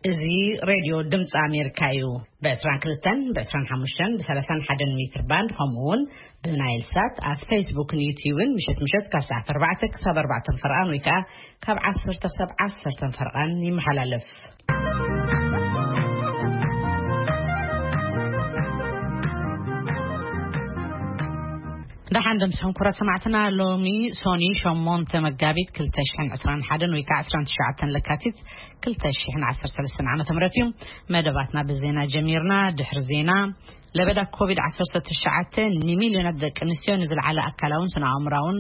እዚ ሬድዮ ድምፂ ኣሜሪካ እዩ። ብ22፣ ብ25፣ ብ31 ሜትር ባንድ፣ ከምኡ እውን ብናይል ሳት ኣብ ፌስቡክን ዩትዩብን ምሸት ምሸት ካብ ሰዓት ኣርባዕተ ክሳብ ኣርባዕተ ፈርቓን ወይ ከዓ ካብ ዓሰርተ ክሳብ ዓሰርተ ፈርቓን ይመሓላለፍ። ደሓን ደምስኹም ክቡራት ሰማዕትና። ሎሚ ሶኒ ሸሞንተ መጋቢት ክልተ ሽሕን ዕስራን ሓደን ወይ ከዓ ዕስራን ትሽዓተን ለካቲት ክልተ ሽሕን ዓሰርተ ሰለስተን ዓመተ ምህረት እዩ። መደባትና ብዜና ጀሚርና። ድሕሪ ዜና፣ ለበዳ ኮቪድ ዓሰርተ ትሽዓተ ንሚልዮናት ደቂ ኣንስትዮ ንዝለዓለ ኣካላውን ስነ ኣእምራውን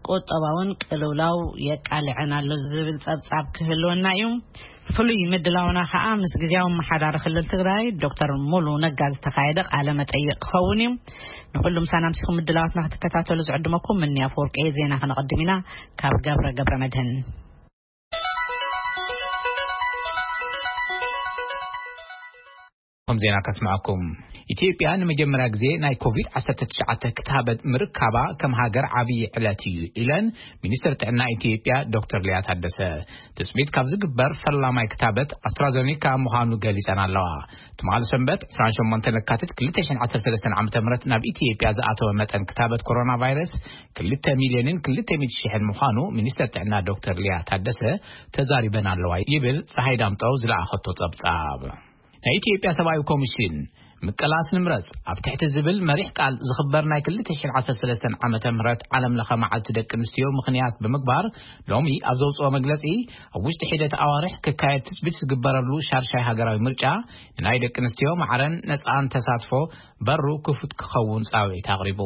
ቁጠባውን ቅልውላው የቃልዐን ኣሎ ዝብል ጸብጻብ ክህልወና እዩ። ፍሉይ ምድላውና ከዓ ምስ ግዜያዊ ኣመሓዳሪ ክልል ትግራይ ዶክተር ሙሉ ነጋ ዝተኻየደ ቃለ መጠይቕ ክኸውን እዩ። ንኹሉ ምሳና ኣምሲኹም ምድላዋትና ክትከታተሉ ዝዕድመኩም ምንያ ኣፈወርቂ። ዜና ክነቐድም ኢና። ካብ ገብረ ገብረ መድህን ከም ዜና ከስምዐኩም። ኢትዮጵያ ንመጀመርያ ግዜ ናይ ኮቪድ ዓሰርተ ትሽዓተ ክታበት ምርካባ ከም ሃገር ዓብዪ ዕለት እዩ ኢለን ሚኒስትር ጥዕና ኢትዮጵያ ዶክተር ሊያ ታደሰ። ትጽቢት ካብ ዝግበር ፈላማይ ክታበት ኣስትራዘኒካ ምዃኑ ገሊጸን ኣለዋ። ትማሊ ሰንበት ዕስራን ሸሞንተን ለካቲት ክልተ ሽሕን ዓሰርተ ሰለስተን ዓመተ ምህረት ናብ ኢትዮጵያ ዝኣተወ መጠን ክታበት ኮሮና ቫይረስ ክልተ ሚልዮንን ክልተ ሚእቲ ሽሕን ምዃኑ ሚኒስትር ጥዕና ዶክተር ሊያ ታደሰ ተዛሪበን ኣለዋ ይብል ፀሃይ ዳምጠው ዝለኣኸቶ ጸብጻብ። ናይ ኢትዮጵያ ሰብኣዊ ኮሚሽን ምቅላስ ንምረጽ ኣብ ትሕቲ ዝብል መሪሕ ቃል ዝኽበር ናይ ክልተ ሽሕን ዓሰርተ ሰለስተን ዓመተ ምህረት ዓለም ለኸ መዓልቲ ደቂ ኣንስትዮ ምኽንያት ብምግባር ሎሚ ኣብ ዘውፅኦ መግለጺ፣ ኣብ ውሽጢ ሒደት ኣዋርሕ ክካየድ ትጽቢት ዝግበረሉ ሻርሻይ ሃገራዊ ምርጫ ንናይ ደቂ ኣንስትዮ ማዕረን ነጻን ተሳትፎ በሩ ክፉት ክኸውን ጻውዒት ኣቕሪቡ።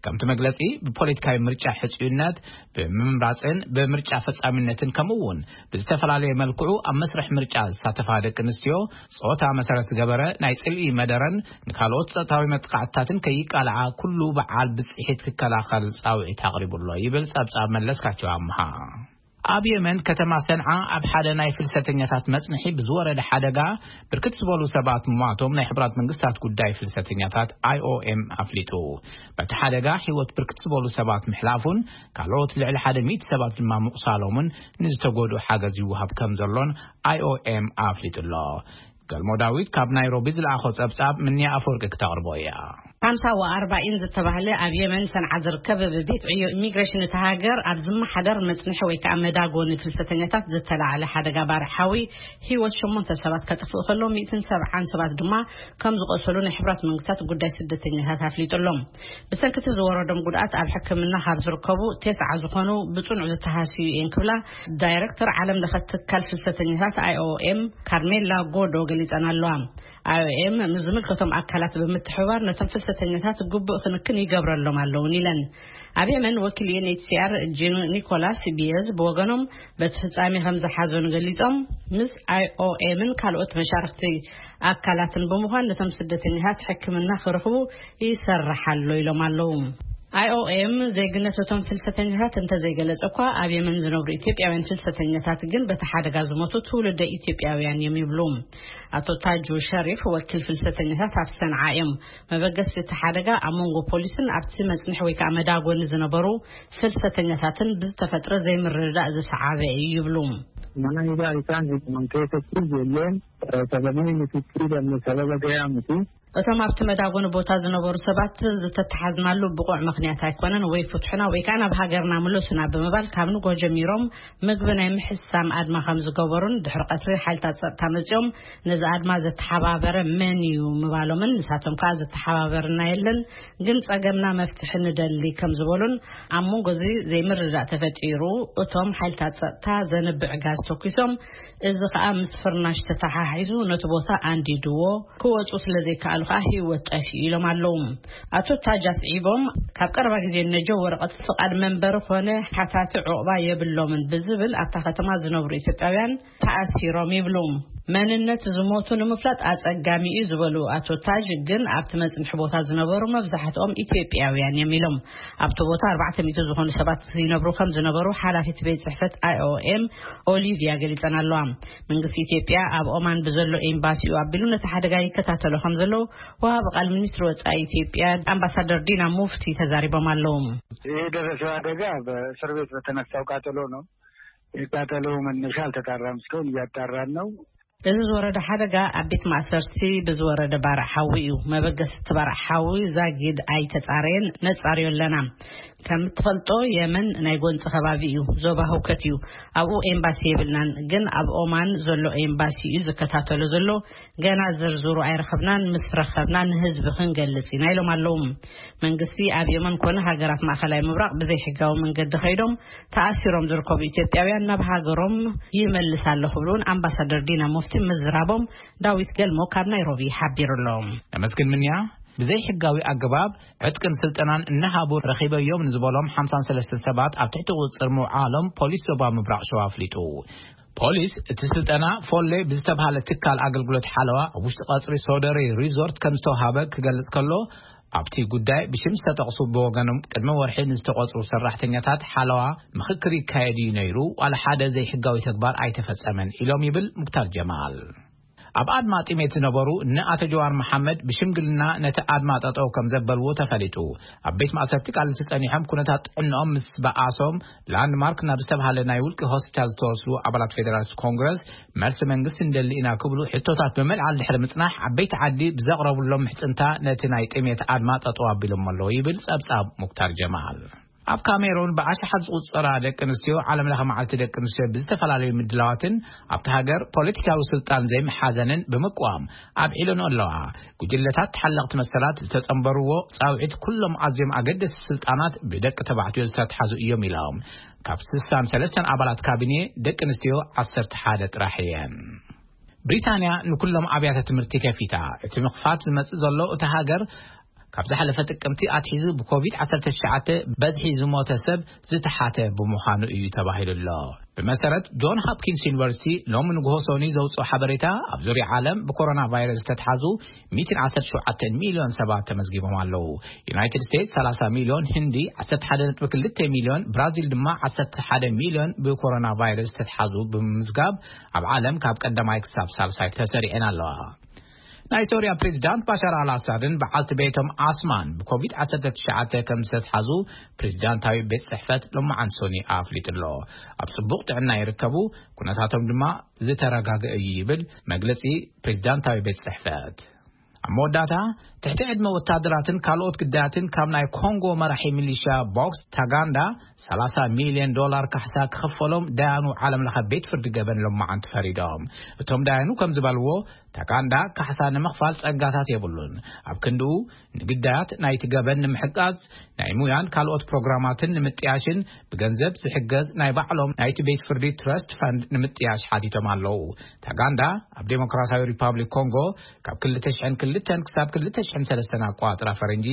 ከምቲ መግለጺ፣ ብፖለቲካዊ ምርጫ ሕጽዩነት፣ ብምምራጽን ብምርጫ ፈጻሚነትን ከምኡ እውን ብዝተፈላለየ መልክዑ ኣብ መስርሕ ምርጫ ዝሳተፋ ደቂ ኣንስትዮ ጾታ መሰረት ዝገበረ ናይ ጽልኢ መደረን ንካልኦት ጾታዊ መጥቃዕትታትን ከይቃልዓ ኩሉ በዓል ብጽሒት ክከላኸል ጻውዒት ኣቕሪቡ ኣሎ ይብል ጸብጻብ መለስካቸው ኣምሃ። ኣብ የመን ከተማ ሰንዓ ኣብ ሓደ ናይ ፍልሰተኛታት መጽንሒ ብዝወረደ ሓደጋ ብርክት ዝበሉ ሰባት ምሟቶም ናይ ሕቡራት መንግስታት ጉዳይ ፍልሰተኛታት ኣይኦኤም ኣፍሊጡ። በቲ ሓደጋ ህይወት ብርክት ዝበሉ ሰባት ምሕላፉን ካልኦት ልዕሊ ሓደ ሚእቲ ሰባት ድማ ምቑሳሎምን ንዝተጎድኡ ሓገዝ ይወሃብ ከም ዘሎን ኣይኦኤም ኣፍሊጡ ኣሎ። ገልሞ ዳዊት ካብ ናይሮቢ ዝለኣኾ ጸብጻብ ምንያ ኣፈወርቂ ክተቕርቦ እያ። ሓምሳ ወኣርባኢን ዝተባህለ ኣብ የመን ሰንዓ ዝርከብ ቤት ዕዮ ኢሚግሬሽን እቲ ሃገር ኣብ ዝመሓደር መጽንሒ ወይ ከዓ መዳጎኒ ፍልሰተኛታት ዝተላዕለ ሓደጋ ባርዕ ሓዊ ህይወት ሸሞንተ ሰባት ከጥፍእ ከሎ፣ ሚእትን ሰብዓን ሰባት ድማ ከም ዝቆሰሉ ናይ ሕብራት መንግስታት ጉዳይ ስደተኛታት ኣፍሊጡ ኣሎ። ብሰንኪ እቲ ዝወረዶም ጉድኣት ኣብ ሕክምና ካብ ዝርከቡ ተስዓ ዝኾኑ ብጽኑዕ ዝተሃስዩ እየን ክብላ ዳይሬክተር ዓለም ለኸ ትካል ፍልሰተኛታት ኣይኦኤም ካርሜላ ጎዶ ገሊጸን ኣለዋ። ኣይኦኤም ምስ ዝምልከቶም ኣካላት ብምትሕብባር ነቶም ፍልሰተኛታት ግቡእ ክንክን ይገብረሎም ኣለውን ኢለን። ኣብ የመን ወኪል ዩኤንኤችሲኣር ጂን ኒኮላስ ቢየዝ ብወገኖም በቲ ፍጻሜ ከም ዝሓዘኑ ገሊጾም፣ ምስ ኣይኦኤምን ካልኦት መሻርክቲ ኣካላትን ብምዃን ነቶም ስደተኛታት ሕክምና ክረኽቡ ይሰርሕ ኣሎ ኢሎም ኣለዉ። ኣይኦኤም ዜግነት እቶም ፍልሰተኛታት እንተዘይገለጸ እኳ፣ ኣብ የመን ዝነብሩ ኢትዮጵያውያን ፍልሰተኛታት ግን በቲ ሓደጋ ዝሞቱ ትውልደ ኢትዮጵያውያን እዮም ይብሉ። ኣቶ ታጁ ሸሪፍ ወኪል ፍልሰተኛታት ኣብ ሰንዓ እዮም። መበገስቲ እቲ ሓደጋ ኣብ መንጎ ፖሊስን ኣብቲ መጽንሒ ወይ ከዓ መዳጎኒ ዝነበሩ ፍልሰተኛታትን ብዝተፈጥረ ዘይምርድዳእ ዝሰዓበ እዩ ይብሉ። Mana hidhaa isaan hiikuman keessatti ijoolleen, eh, sababii nuti itti hidhamne sababa gayaa miti. እቶም ኣብቲ መዳጎኒ ቦታ ዝነበሩ ሰባት ዝተተሓዝናሉ ብቑዕ ምኽንያት ኣይኮነን፣ ወይ ፍትሑና ወይ ከዓ ናብ ሃገርና ምለሱና ብምባል ካብ ንጎ ጀሚሮም ምግቢ ናይ ምሕሳም ኣድማ ከም ዝገበሩን ድሕሪ ቀትሪ ሓይልታት ጸጥታ መጺኦም ነዚ ኣድማ ዘተሓባበረ መን እዩ ምባሎምን ንሳቶም ከዓ ዘተሓባበርና የለን፣ ግን ጸገምና መፍትሒ ንደሊ ከም ዝበሉን ኣብ መንጎ እዚ ዘይምርዳእ ተፈጢሩ እቶም ሓይልታት ጸጥታ ዘንብዕ ጋዝ ተኩሶም፣ እዚ ከዓ ምስ ፍርናሽ ተተሓሒዙ ነቲ ቦታ ኣንዲድዎ፣ ክወፁ ስለ ዘይከኣሉ ከዓ ህይወት ጠፊኡ ኢሎም ኣለዉ። ኣቶ ታጅ ኣስዒቦም፣ ካብ ቀረባ ግዜ ነጀው ወረቐት ፍቓድ መንበሪ ኮነ ሓታቲ ዕቑባ የብሎምን ብዝብል ኣብታ ከተማ ዝነብሩ ኢትዮጵያውያን ተኣሲሮም ይብሉ። መንነት ዝሞቱ ንምፍላጥ ኣጸጋሚ እዩ ዝበሉ ኣቶ ታጅ፣ ግን ኣብቲ መጽንሒ ቦታ ዝነበሩ መብዛሕትኦም ኢትዮጵያውያን እዮም ኢሎም። ኣብቲ ቦታ ኣርባዕተ ሚእቲ ዝኾኑ ሰባት ይነብሩ ከም ዝነበሩ ሓላፊት ቤት ጽሕፈት ኣይኦኤም ኦሊቪያ ገሊጸን ኣለዋ። መንግስቲ ኢትዮጵያ ኣብ ኦማን ብዘሎ ኤምባሲኡ ኣቢሉ ነቲ ሓደጋ ይከታተሎ ከም ዘሎ ወሃቢ ቃል ሚኒስትሪ ወጻኢ ኢትዮጵያ ኣምባሳደር ዲና ሙፍቲ ተዛሪቦም ኣለዉ። ይህ የደረሰው አደጋ በእስር ቤት በተነሳው ቃጠሎ ነው። የቃጠሎ መነሻ አልተጣራም፣ እስካሁን እያጣራን ነው። እዚ ዝወረደ ሓደጋ ኣብ ቤት ማእሰርቲ ብዝወረደ ባርዕ ሓዊ እዩ። መበገሲ እቲ ባርዕ ሓዊ ዛጊድ ኣይተጻረየን፣ ነጻርዮ ኣለና። ከም እትፈልጦ፣ የመን ናይ ጎንጺ ከባቢ እዩ፣ ዞባ ህውከት እዩ። ኣብኡ ኤምባሲ የብልናን፣ ግን ኣብ ኦማን ዘሎ ኤምባሲ እዩ ዝከታተሎ ዘሎ። ገና ዝርዝሩ ኣይረኸብናን፣ ምስ ረኸብና ንህዝቢ ክንገልጽ ኢና፣ ኢሎም ኣለዉ። መንግስቲ ኣብ የመን ኮነ ሃገራት ማእከላይ ምብራቕ ብዘይሕጋዊ መንገዲ ከይዶም ተኣሲሮም ዝርከቡ ኢትዮጵያውያን ናብ ሃገሮም ይመልስ ኣለኹ ብሉ እውን ኣምባሳደር ዲና ሙፍቲ ምዝራቦም ዳዊት ገልሞ ካብ ናይሮቢ ሓቢሩ ኣሎ። ነመስግን ምንያ። ብዘይ ሕጋዊ ኣገባብ ዕጥቅን ስልጠናን እናሃቡ ረኺበዮም ንዝበሎም ሓምሳን ሰለስተን ሰባት ኣብ ትሕቲ ቁጽጽር ምውዓሎም ፖሊስ ዞባ ምብራቕ ሸዋ ኣፍሊጡ። ፖሊስ እቲ ስልጠና ፎሌ ብዝተባሃለ ትካል ኣገልግሎት ሓለዋ ኣብ ውሽጢ ቀጽሪ ሶደሬ ሪዞርት ከም ዝተውሃበ ክገልጽ ከሎ፣ ኣብቲ ጉዳይ ብሽም ዝተጠቕሱ ብወገኖም ቅድሚ ወርሒ ንዝተቖጽሩ ሰራሕተኛታት ሓለዋ ምኽክር ይካየድ እዩ ነይሩ፣ ዋላ ሓደ ዘይሕጋዊ ተግባር ኣይተፈጸመን ኢሎም ይብል ሙክታር ጀማል። ኣብ ኣድማ ጥሜት ዝነበሩ እነ ኣቶ ጀዋር መሓመድ ብሽምግልና ነቲ ኣድማ ጠጠው ከም ዘበልዎ ተፈሊጡ። ኣብ ቤት ማእሰርቲ ቃልሲ ጸኒሖም ኩነታት ጥዕንኦም ምስ በኣሶም ላንድማርክ ናብ ዝተባሃለ ናይ ውልቂ ሆስፒታል ዝተወስዱ ኣባላት ፌደራሊስት ኮንግረስ መልሲ መንግስቲ እንደሊ ኢና ክብሉ ሕቶታት ብምልዓል ድሕሪ ምጽናሕ ዓበይቲ ዓዲ ብዘቕረቡሎም ምሕጽንታ ነቲ ናይ ጥሜት ኣድማ ጠጠው ኣቢሎም ኣለዉ ይብል ጸብጻብ ሙክታር ጀማል። ኣብ ካሜሩን ብኣሽሓት ዝቑጸራ ደቂ ኣንስትዮ ዓለም ለኸ መዓልቲ ደቂ ኣንስትዮ ብዝተፈላለዩ ምድላዋትን ኣብቲ ሃገር ፖለቲካዊ ስልጣን ዘይምሓዘንን ብምቅዋም ኣብዒለን ኣለዋ። ጉጅለታት ተሓለቕቲ መሰላት ዝተጸንበርዎ ጻውዒት ኩሎም ኣዝዮም ኣገደስቲ ስልጣናት ብደቂ ተባዕትዮ ዝተትሓዙ እዮም ኢሎም። ካብ ስሳን ሰለስተን ኣባላት ካቢኔ ደቂ ኣንስትዮ ዓሰርተ ሓደ ጥራሕ እየን። ብሪታንያ ንኩሎም ኣብያተ ትምህርቲ ከፊታ። እቲ ምኽፋት ዝመጽእ ዘሎ እቲ ሃገር ካብ ዝሓለፈ ጥቅምቲ ኣትሒዙ ብኮቪድ ዓሰርተ ትሽዓተ በዝሒ ዝሞተ ሰብ ዝተሓተ ብምዃኑ እዩ ተባሂሉ ኣሎ። ብመሰረት ጆን ሆፕኪንስ ዩኒቨርሲቲ ሎም ንግሆ ሶኒ ዘውፅኦ ሓበሬታ፣ ኣብ ዙርያ ዓለም ብኮሮና ቫይረስ ዝተትሓዙ ሚእትን ዓሰርተ ሸውዓተ ሚልዮን ሰባት ተመዝጊቦም ኣለዉ። ዩናይትድ ስቴትስ ሰላሳ ሚልዮን፣ ህንዲ ዓሰርተ ሓደ ነጥቢ ክልተ ሚልዮን፣ ብራዚል ድማ ዓሰርተ ሓደ ሚልዮን ብኮሮና ቫይረስ ዝተትሓዙ ብምምዝጋብ ኣብ ዓለም ካብ ቀዳማይ ክሳብ ሳልሳይ ተሰሪዐን ኣለዋ። ናይ ሶርያ ፕሬዚዳንት ባሻር ኣልኣሳድን በዓልቲ ቤቶም ኣስማን ብኮቪድ ዓሰርተ ትሽዓተ ከም ዝተትሓዙ ፕሬዚዳንታዊ ቤት ጽሕፈት ሎማዓንቲ ሶኒ ኣፍሊጡ ኣሎ። ኣብ ጽቡቕ ጥዕና ይርከቡ፣ ኩነታቶም ድማ ዝተረጋገ እዩ ይብል መግለጺ ፕሬዚዳንታዊ ቤት ጽሕፈት። ኣብ መወዳእታ፣ ትሕቲ ዕድመ ወታደራትን ካልኦት ግዳያትን ካብ ናይ ኮንጎ መራሒ ሚሊሻ ቦክስ ታጋንዳ ሰላሳ ሚልዮን ዶላር ካሕሳ ክኽፈሎም ዳያኑ ዓለም ለኸ ቤት ፍርዲ ገበን ሎማዓንቲ ፈሪዶም። እቶም ዳያኑ ከም ዝበልዎ፣ ታጋንዳ ካሕሳ ንምኽፋል ጸጋታት የብሉን። ኣብ ክንድኡ፣ ንግዳያት ናይቲ ገበን ንምሕጋዝ ናይ ሙያን ካልኦት ፕሮግራማትን ንምጥያሽን ብገንዘብ ዝሕገዝ ናይ ባዕሎም ናይቲ ቤት ፍርዲ ትረስት ፈንድ ንምጥያሽ ሓቲቶም ኣለዉ። ታጋንዳ ኣብ ዴሞክራሲያዊ ሪፓብሊክ ኮንጎ ካብ ክልተ ሽሕን ክልተን ክሳብ ክልተ ሽሕን ሰለስተን ኣቆጻጽራ ፈረንጂ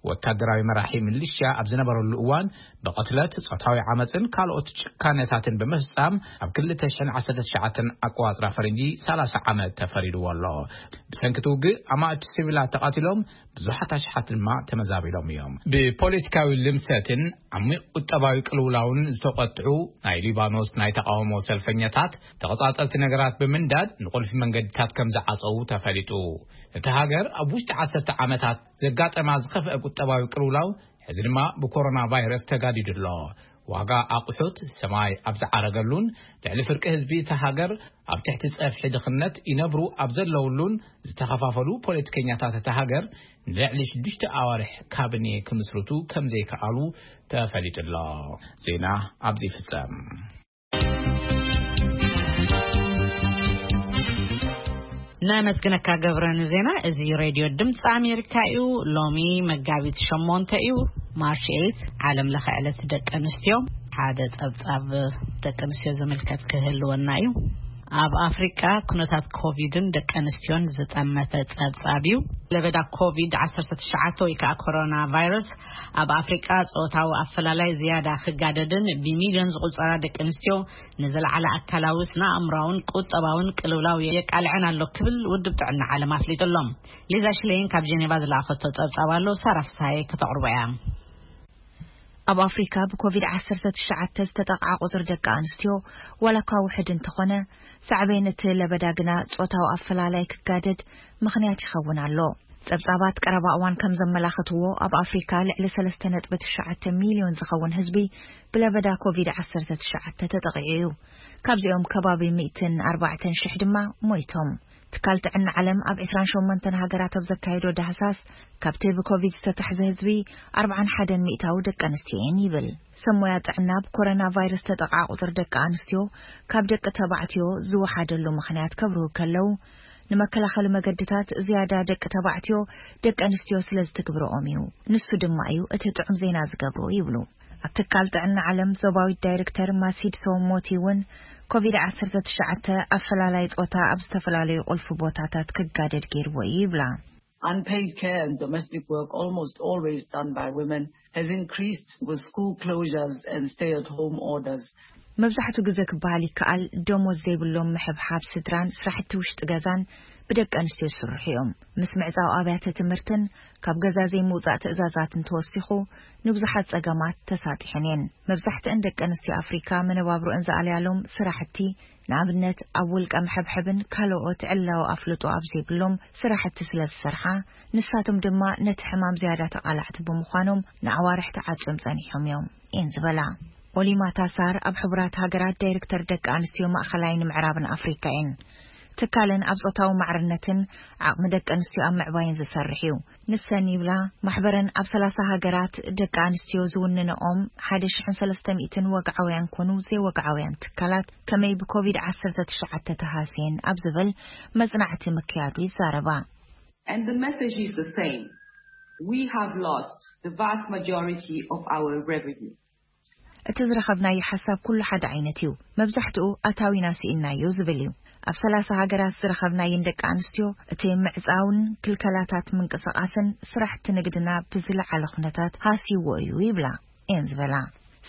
ወታደራዊ መራሒ ሚሊሽያ ኣብ ዝነበረሉ እዋን ብቕትለት፣ ጾታዊ ዓመጽን ካልኦት ጭካነታትን ብምፍጻም ኣብ ክልተ ሽሕን ዓሰርተ ትሽዓተን ኣቆጻጽራ ፈረንጂ ሰላሳ ዓመት ተፈሪድዎ ኣሎ። ብሰንኪ እቲ ውግእ ኣማእቲ ሲቪላት ተቐቲሎም፣ ብዙሓት ኣሽሓት ድማ ተመዛቢሎም እዮም። ብፖለቲካዊ ልምሰትን ዓሚቕ ቁጠባዊ ቅልውላውን ዝተቖጥዑ ናይ ሊባኖስ ናይ ተቃውሞ ሰልፈኛታት ተቐጻጸልቲ ነገራት ብምንዳድ ንቁልፊ መንገድታት ከም ዝዓጸዉ ተፈሊጡ። እቲ ሃገር ኣብ ውሽጢ ዓሰርተ ዓመታት ዘጋጠማ ዝኸፍአ ቁጠባዊ ቅልውላው፣ ሕዚ ድማ ብኮሮና ቫይረስ ተጋዲዱ ኣሎ። ዋጋ ኣቑሑት ሰማይ ኣብ ዝዓረገሉን ልዕሊ ፍርቂ ህዝቢ እታ ሃገር ኣብ ትሕቲ ጸፍሒ ድኽነት ይነብሩ ኣብ ዘለውሉን ዝተኸፋፈሉ ፖለቲከኛታት እታ ሃገር ንልዕሊ ሽዱሽተ ኣዋርሕ ካቢኔ ክምስርቱ ከም ዘይከኣሉ ተፈሊጡ ኣሎ። ዜና ኣብዚ ይፍጸም። እናመስግነካ ገብረ ንዜና። እዚ ሬድዮ ድምፂ ኣሜሪካ እዩ። ሎሚ መጋቢት ሸሞንተ እዩ፣ ማርች ኤይት፣ ዓለም ለኸ ዕለት ደቂ ኣንስትዮ። ሓደ ጸብጻብ ደቂ ኣንስትዮ ዝምልከት ክህልወና እዩ። ኣብ ኣፍሪቃ ኩነታት ኮቪድን ደቂ ኣንስትዮን ዝጠመተ ጸብጻብ እዩ። ለበዳ ኮቪድ ዓሰርተ ትሽዓተ ወይ ከዓ ኮሮና ቫይረስ ኣብ ኣፍሪቃ ጾታዊ ኣፈላላይ ዝያዳ ክጋደድን ብሚልዮን ዝቑጸራ ደቂ ኣንስትዮ ንዝለዓለ ኣካላዊ፣ ስነ ኣእምራውን ቁጠባውን ቅልውላው የቃልዐን ኣሎ ክብል ውድብ ጥዕና ዓለም ኣፍሊጡ ኣሎ። ሊዛ ሽሌን ካብ ጀኔቫ ዝለኣኸቶ ጸብጻብ ኣሎ፣ ሳራ ፍስሃየ ከተቕርቦ እያ። ኣብ ኣፍሪካ ብኮቪድ ዓሰርተ ትሽዓተ ዝተጠቕዓ ቁፅሪ ደቂ ኣንስትዮ ዋላ እኳ ውሕድ እንተኾነ፣ ሳዕቤን እቲ ለበዳ ግና ጾታዊ ኣፈላላይ ክጋደድ ምኽንያት ይኸውን ኣሎ። ጸብጻባት ቀረባ እዋን ከም ዘመላኽትዎ፣ ኣብ ኣፍሪካ ልዕሊ ሰለስተ ነጥቢ ትሽዓተ ሚልዮን ዝኸውን ህዝቢ ብለበዳ ኮቪድ ዓሰርተ ትሽዓተ ተጠቒዑ እዩ። ካብዚኦም ከባቢ ሚእትን ኣርባዕተን ሽሕ ድማ ሞይቶም። ትካል ጥዕና ዓለም ኣብ ዕስራን ሸሞንተን ሃገራት ኣብ ዘካየዶ ዳህሳስ፣ ካብቲ ብኮቪድ ዝተታሕዘ ህዝቢ ኣርባዓን ሓደን ሚእታዊ ደቂ ኣንስትዮ እየን ይብል። ሰብ ሞያ ጥዕና ብኮሮና ቫይረስ ተጠቕዓ ቁጽሪ ደቂ ኣንስትዮ ካብ ደቂ ተባዕትዮ ዝወሓደሉ ምኽንያት ከብርሁ ከለዉ፣ ንመከላኸሊ መገድታት ዝያዳ ደቂ ተባዕትዮ ደቂ ኣንስትዮ ስለ ዝትግብርኦም እዩ። ንሱ ድማ እዩ እቲ ጥዑም ዜና ዝገብሮ ይብሉ። ኣብ ትካል ጥዕና ዓለም ዞባዊት ዳይሬክተር ማሲድ ሶሞቲ እውን ኮቪድ ዓሰርተ ትሽዓተ ኣፈላላይ ጾታ ኣብ ዝተፈላለዩ ቁልፊ ቦታታት ክጋደድ ገይርዎ እዩ ይብላ። Unpaid care and domestic work, almost always done by women, has increased with school closures and stay-at-home orders. መብዛሕትኡ ግዜ ክበሃል ይከኣል፣ ደሞዝ ዘይብሎም ምሕብሓብ ስድራን ስራሕቲ ውሽጢ ገዛን ብደቂ ኣንስትዮ ዝስርሑ እዮም። ምስ ምዕጻው ኣብያተ ትምህርትን ካብ ገዛ ዘይምውጻእ ትእዛዛትን ተወሲኹ፣ ንብዙሓት ጸገማት ተሳጢሐን እየን። መብዛሕትአን ደቂ ኣንስትዮ ኣፍሪካ መነባብሮአን ዝኣልያሎም ስራሕቲ፣ ንኣብነት ኣብ ውልቀ መሐብሐብን ካልኦት ዕላዊ ኣፍልጦ ኣብ ዘይብሎም ስራሕቲ ስለ ዝሰርሓ፣ ንሳቶም ድማ ነቲ ሕማም ዝያዳ ተቓላዕቲ ብምዃኖም ንኣዋርሕ ተዓጽዮም ጸኒሖም እዮም እየን ዝበላ። ኦሊማ ታሳር ኣብ ሕቡራት ሃገራት ዳይሬክተር ደቂ ኣንስትዮ ማእኸላይን ምዕራብን ኣፍሪካ እየን። ትካለን ኣብ ጾታዊ ማዕርነትን ዓቕሚ ደቂ ኣንስትዮ ኣብ ምዕባይን ዝሰርሕ እዩ። ንሰን ይብላ፣ ማሕበረን ኣብ ሰላሳ ሃገራት ደቂ ኣንስትዮ ዝውንነኦም ሓደ ሽሕን ሰለስተ ሚእትን ወግዓውያን ኮኑ ዘይወግዓውያን ትካላት ከመይ ብኮቪድ ዓሰርተ ትሽዓተ ተሃስየን ኣብ ዝብል መጽናዕቲ ምክያዱ ይዛረባ። And the message is the same. We have lost the vast majority of our revenue. እቲ ዝረኸብናዮ ሓሳብ ኩሉ ሓደ ዓይነት እዩ። መብዛሕትኡ ኣታዊና ስኢንናዮ ዝብል እዩ። ኣብ ሰላሳ ሃገራት ዝረኸብናየን ደቂ ኣንስትዮ እቲ ምዕጻውን ክልከላታት ምንቅስቓስን ስራሕቲ ንግድና ብዝለዓለ ኩነታት ሃስይዎ እዩ ይብላ እየን ዝበላ።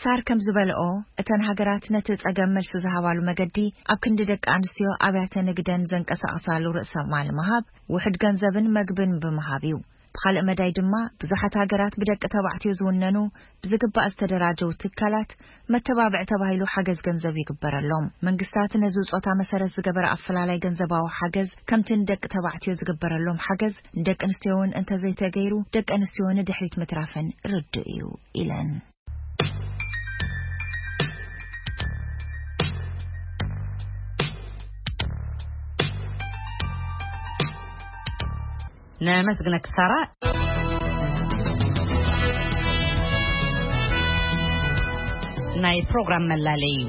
ሳር ከም ዝበልኦ፣ እተን ሃገራት ነቲ ጸገም መልሲ ዝሃባሉ መገዲ ኣብ ክንዲ ደቂ ኣንስትዮ ኣብያተ ንግደን ዘንቀሳቕሳሉ ርእሰ ማል ምሃብ፣ ውሑድ ገንዘብን መግብን ብምሃብ እዩ። ብኻልእ መዳይ ድማ፣ ብዙሓት ሃገራት ብደቂ ተባዕትዮ ዝውነኑ ብዝግባእ ዝተደራጀው ትካላት መተባብዒ ተባሂሉ ሓገዝ ገንዘብ ይግበረሎም። መንግስታት ነዚ ጾታ መሰረት ዝገበረ ኣፈላላይ ገንዘባዊ ሓገዝ ከምቲ ንደቂ ተባዕትዮ ዝግበረሎም ሓገዝ ንደቂ ኣንስትዮ እውን እንተዘይተገይሩ ደቂ ኣንስትዮ ንድሕሪት ምትራፈን ርዱእ እዩ ኢለን። ነመስግነኪ ሳራ። ናይ ፕሮግራም መላለይ እዩ።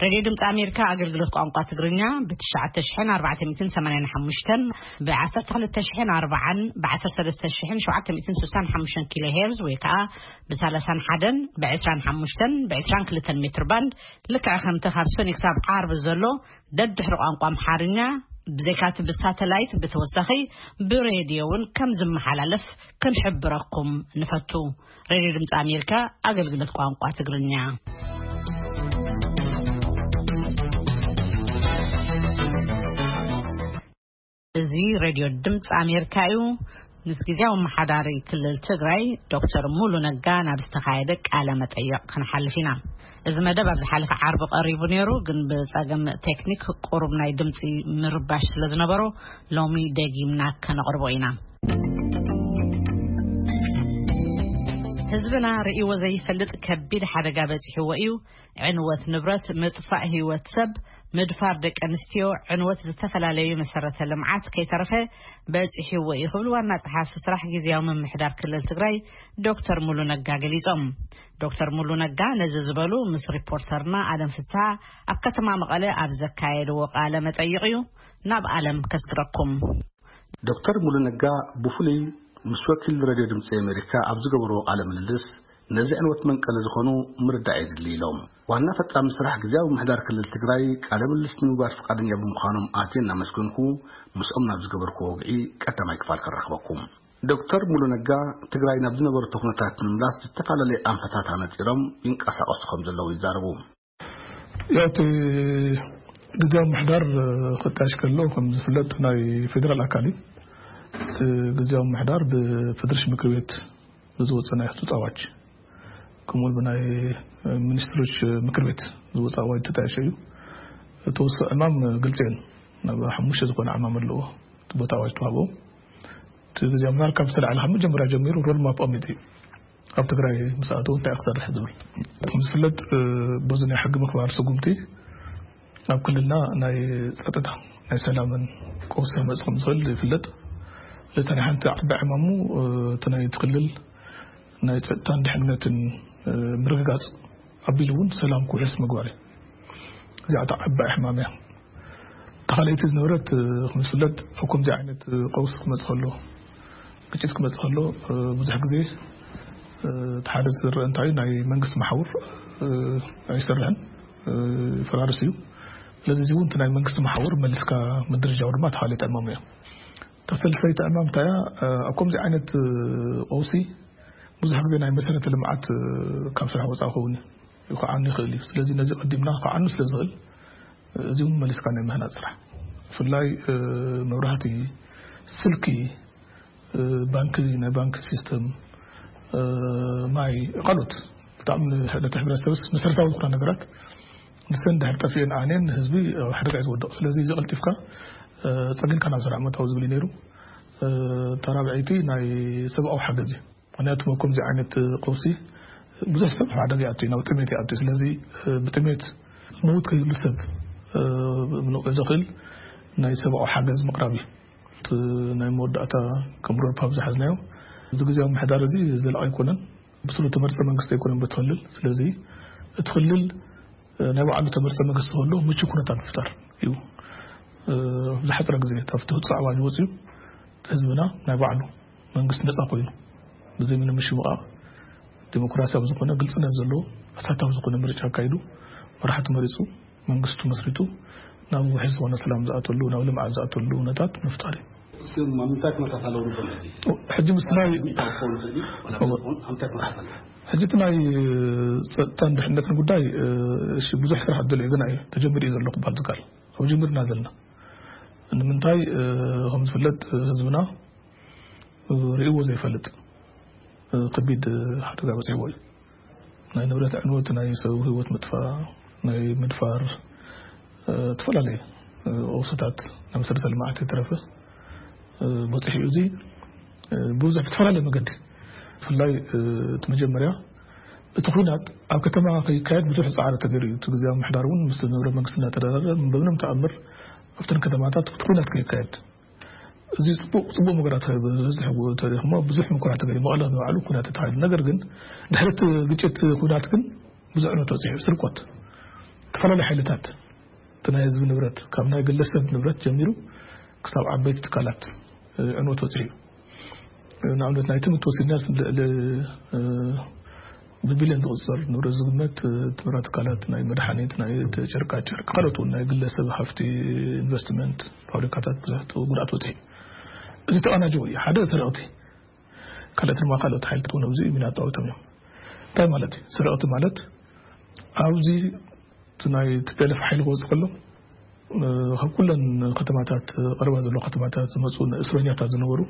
ሬድዮ ድምፂ ኣሜሪካ ኣገልግሎት ቋንቋ ትግርኛ ብ ትሽዓተ ሽሕን ኣርባዕተ ሚእትን ሰማንያን ሓሙሽተን፣ ብ ዓሰርተ ክልተ ሽሕን ኣርባዓን፣ ብ ዓሰርተ ሰለስተ ሽሕን ሸውዓተ ሚእትን ስሳን ሓሙሽተን ኪሎ ሄርዝ ወይ ከዓ ብ ሰላሳን ሓደን፣ ብ ዕስራን ሓሙሽተን፣ ብ ዕስራን ክልተን ሜትር ባንድ፣ ልክዕ ከምቲ ካብ ሰኒ ክሳብ ዓርቢ ዘሎ ደድሕሪ ቋንቋ ኣምሓርኛ፣ ብዘይካቲ ብሳተላይት ብተወሳኺ ብሬድዮ እውን ከም ዝመሓላለፍ ክንሕብረኩም ንፈቱ። ሬድዮ ድምፂ ኣሜሪካ ኣገልግሎት ቋንቋ ትግርኛ። እዚ ሬድዮ ድምፂ ኣሜሪካ እዩ። ምስ ግዜያዊ ኣመሓዳሪ ክልል ትግራይ ዶክተር ሙሉ ነጋ ናብ ዝተኻየደ ቃለ መጠይቕ ክንሓልፍ ኢና። እዚ መደብ ኣብ ዝሓለፈ ዓርቢ ቀሪቡ ነይሩ፣ ግን ብጸገም ቴክኒክ ቁሩብ ናይ ድምፂ ምርባሽ ስለ ዝነበሮ ሎሚ ደጊምና ከነቕርቦ ኢና። ህዝብና ርእይዎ ዘይፈልጥ ከቢድ ሓደጋ በፂሕዎ እዩ። ዕንወት ንብረት፣ ምጥፋእ ህይወት ሰብ፣ ምድፋር ደቂ ኣንስትዮ፣ ዕንወት ዝተፈላለዩ መሰረተ ልምዓት ከይተረፈ በፂሕዎ እዩ ክብል ዋና ጸሓፊ ስራሕ ግዝያዊ ምምሕዳር ክልል ትግራይ ዶክተር ሙሉ ነጋ ገሊጾም። ዶክተር ሙሉ ነጋ ነዚ ዝበሉ ምስ ሪፖርተርና ኣለም ፍስሓ ኣብ ከተማ መቐለ ኣብ ዘካየድዎ ቃለ መጠይቕ እዩ። ናብ ኣለም ከስግረኩም። ዶክተር ሙሉ ነጋ ብፍሉይ ምስ ወኪል ሬድዮ ድምፂ ኣሜሪካ ኣብ ዝገበርዎ ቃለ ምልልስ ነዚ ዕንወት መንቀሊ ዝኾኑ ምርዳእ የድሊ ኢሎም። ዋና ፈጻሚ ስራሕ ግዝያዊ ምምሕዳር ክልል ትግራይ ቃለ ምልልስ ንምግባር ፍቓደኛ ብምዃኖም ኣዝየ እናመስገንኩ ምስኦም ናብ ዝገበርኩዎ ወግዒ ቀዳማይ ክፋል ከራኽበኩም። ዶክተር ሙሉ ነጋ ትግራይ ናብ ዝነበረቶ ኩነታት ንምምላስ ዝተፈላለዩ ኣንፈታት ኣነጺሮም ይንቀሳቐሱ ከም ዘለዉ ይዛረቡ። ያው እቲ ግዝያዊ ምምሕዳር ክጣየሽ ከሎ ከም ዝፍለጥ ናይ ፌደራል ኣካል እዩ። እቲ ግዝያዊ ምምሕዳር ብፌደሬሽን ምክር ቤት ብዝወፀ ናይ ህፁፅ ኣዋጅ ከምኡ እውን ብናይ ሚኒስትሮች ምክር ቤት ዝወፀ ኣዋጅ ተጣየሸ እዩ። እቲ ወሰ ዕማም ግልፂ እየን ናብ ሓሙሽተ ዝኾነ ዕማም ኣለዎ። እቲ ቦታ ኣዋጅ ተዋህቦ እቲ ግዜ ምናር ካብ ዝተላዕለ ካብ መጀመርያ ጀሚሩ ሮድማፕ ኣሚጡ እዩ። ኣብ ትግራይ ምስ ኣተው እንታይ ክሰርሕ ዝብል። ከም ዝፍለጥ፣ እ፣ በዚ ናይ ሕጊ ምኽባር ስጉምቲ ኣብ ክልልና ናይ ጸጥታ፣ ናይ ሰላምን ቀውሲ ክመጽእ ከም ዝኽእል ይፍለጥ። ስለዚ ናይ ሓንቲ ዓባይ ዕማሙ፣ እ፣ እቲ ናይ እቲ ክልል ናይ ጸጥታን ድሕነትን፣ እ፣ ምርግጋጽ ኣቢሉ እውን ሰላም ክውሕስ ምግባር እዩ። እዚኣ እታ ዓባይ ሕማም እያ። ተኻለይቲ ዝነበረት፣ እ፣ ከም ዝፍለጥ ኣብ ከምዚ ዓይነት፣ እ፣ ቀውሲ ክመጽእ ከሎ፣ ግጭት ክመጽእ ከሎ፣ እ፣ ብዙሕ ግዜ፣ እ፣ እቲ ሓደ ዝረአ እንታይ እዩ፣ ናይ መንግስቲ መሓውር፣ እ፣ ኣይሰርሕን፣ እ፣ ይፈራርስ እዩ። ስለዚ እዚ እውን እቲ ናይ መንግስቲ መሓውር መሊስካ ምድርጃው ድማ ተኻለይቲ ዕማም እያ። እታ ሰለስተይቲ ዕማም እንታይ እያ? እ፣ ኣብ ከምዚ ዓይነት፣ እ፣ ቀውሲ ብዙሕ ግዜ ናይ መሰረተ ልምዓት፣ እ፣ ካብ ስራሕ ወፃኢ ክኸውን እዩ፣ ክዓኑ ይኽእል እዩ። ስለዚ ነዚ ቀዲምና ክዓኑ ስለ ዝኽእል፣ እ፣ እዚ እውን መሊስካ ናይ ምህናፅ ስራሕ፣ ብፍላይ፣ እ፣ መብራህቲ፣ ስልኪ፣ እ፣ ባንኪ፣ ናይ ባንኪ ሲስተም፣ እ፣ ማይ፣ ካልኦት ብጣዕሚ ነቲ ሕብረተሰብስ መሰረታዊ ዝኾና ነገራት ንሰን ድሕር ጠፊኤን ዓንየን ህዝቢ ኣብ ሓደጋ እዩ ዝወድቕ። ስለዚ እዚ ቀልጢፍካ፣ እ፣ ጸጊምካ ናብ ስራሕ ምእታው ዝብል እዩ ነይሩ። እ፣ ተራብዐይቲ ናይ ሰብኣዊ ሓገዝ እዩ። ምኽንያቱ ኣብ ከምዚ ዓይነት ቀውሲ ብዙሕ ሰብ ኣብ ሓደጋ ይኣቱ እዩ፣ ናብ ጥሜት ይኣቱ እዩ። ስለዚ፣ እ፣ ብጥሜት መውት ከይህሉ ሰብ፣ እ፣ ምንቕዕ ዘኽእል ናይ ሰብኣዊ ሓገዝ ምቕራብ እዩ። እቲ ናይ መወዳእታ ከም ሮድማፕ ዝሓዝናዮ፣ እዚ ግዜያዊ ምሕዳር እዚ ዘላቒ ኣይኮነን። ብስሩ ተመርጸ መንግስቲ ኣይኮነን በቲ ክልል። ስለዚ እቲ ክልል፣ እ፣ ናይ ባዕሉ ተመርጸ መንግስቲ ክህሉ ምቹ ኩነታት ምፍጣር እዩ። እ፣ ኣብ ዝሓጸረ ግዜ፣ ካብቲ ህጹጽ ኣዋጅ ወጺኡ፣ ህዝብና ናይ ባዕሉ መንግስቲ ነጻ ኮይኑ፣ ብዘይ ምንም ምሽምቓቕ፣ ዲሞክራሲያዊ ዝኾነ፣ ግልጽነት ዘለዎ፣ ኣሳታፊ ዝኾነ ምርጫ ኣካይዱ፣ መራሕቲ መሪጹ፣ መንግስቱ መስሪቱ፣ ናብ ውሕስ ዝኾነ ሰላም ዝኣተሉ፣ ናብ ልምዓት ዝኣተሉ ኩነታት ምፍጣር እዩ። እስኪ ኣብ ምንታይ ኩነታት ኣለዉ ንብል ሕጂ? ሕጂ ምስ ናይ እንታይ ክኸውን ይኽእል እዩ? ዋላ እዎ። ብዝኾን ኣብ ምንታይ ኩነታት ኣለዉ? ሕጂ እቲ ናይ ጸጥታን ድሕነትን ጉዳይ፣ እ፣ እሺ፣ ብዙሕ ስራሕ ደልዩ ገና እዩ፣ ተጀሚሩ እዩ ዘሎ ክበሃል ዝከኣል። ኣብ ጅምርና ዘለና። ንምንታይ፣ እ፣ ከም ዝፍለጥ፣ ህዝብና፣ እ፣ ርእይዎ ዘይፈልጥ፣ እ፣ ከቢድ ሓደጋ በጺሕዎ እዩ። ናይ ንብረት ዕንወት፣ ናይ ሰብ ህይወት ምጥፋእ፣ ናይ ምድፋር፣ እ፣ እተፈላለየ፣ እ፣ ቀውስታት፣ ናይ መሰረተ ልምዓት የተረፈ፣ እ፣ በጺሑ እዩ። እዚ፣ እ፣ ብዙሕ ብዝተፈላለየ መገዲ፣ ብፍላይ፣ እ፣ እቲ መጀመርያ እቲ ኲናት ኣብ ከተማ ከይካየድ ብዙሕ ጻዕሪ ተገይሩ እዩ። እቲ ግዜያዊ ምምሕዳር እውን ምስ ዝነበረ መንግስቲ እናተደራደረ በምንም ተኣምር ኣብተን ከተማታት እቲ ኲናት ከይካየድ፣ እዚ ጽቡቕ፣ ጽቡቕ መገራት በዝሕ ተሪኽሞ ብዙሕ ምኩራት ተገይሩ፣ መቐለ ንባዕሉ ኩናት ተታሒዙ። ነገር ግን ድሕሪ እቲ ግጭት ኩናት ግን ብዙሕ ዕንወት በጺሑ፣ ስርቆት፣ ዝተፈላለዩ ሓይልታት፣ እቲ ናይ ህዝቢ ንብረት፣ ካብ ናይ ግለሰብ ንብረት ጀሚሩ ክሳብ ዓበይቲ ትካላት፣ እ፣ ዕንወት በጺሑ እዩ። ንኣብነት ናይ ትምህርቲ ወሲድና ልዕሊ፣ እ፣ ብቢልዮን ዝቕጸር ንብረት ዝግመት፣ እ፣ ትምህርት ትካላት፣ ናይ መድሓኒት፣ ናይ ጨርቃ ጨርቂ፣ ካልኦት እውን ናይ ግለሰብ ሃፍቲ፣ ኢንቨስትመንት፣ ፋብሪካታት ብዙሕ ጉድኣት በጺሑ። እዚ ተቐናጅዎ እዩ። ሓደ ስርቕቲ፣ ካልኦት ድማ ካልኦት ሓይልታት እውን ኣብዚ ሚና ኣጻዊቶም እዮም። እንታይ ማለት እዩ? ስርቕቲ ማለት ኣብዚ እቲ ናይ ቲ ፒ ኤል ኤፍ ሓይሊ ክወጽእ ከሎ፣ እ፣ ካብ ኩለን ከተማታት፣ ቀረባ ዘለዎ ከተማታት ዝመጹ እስረኛታት ዝነበሩ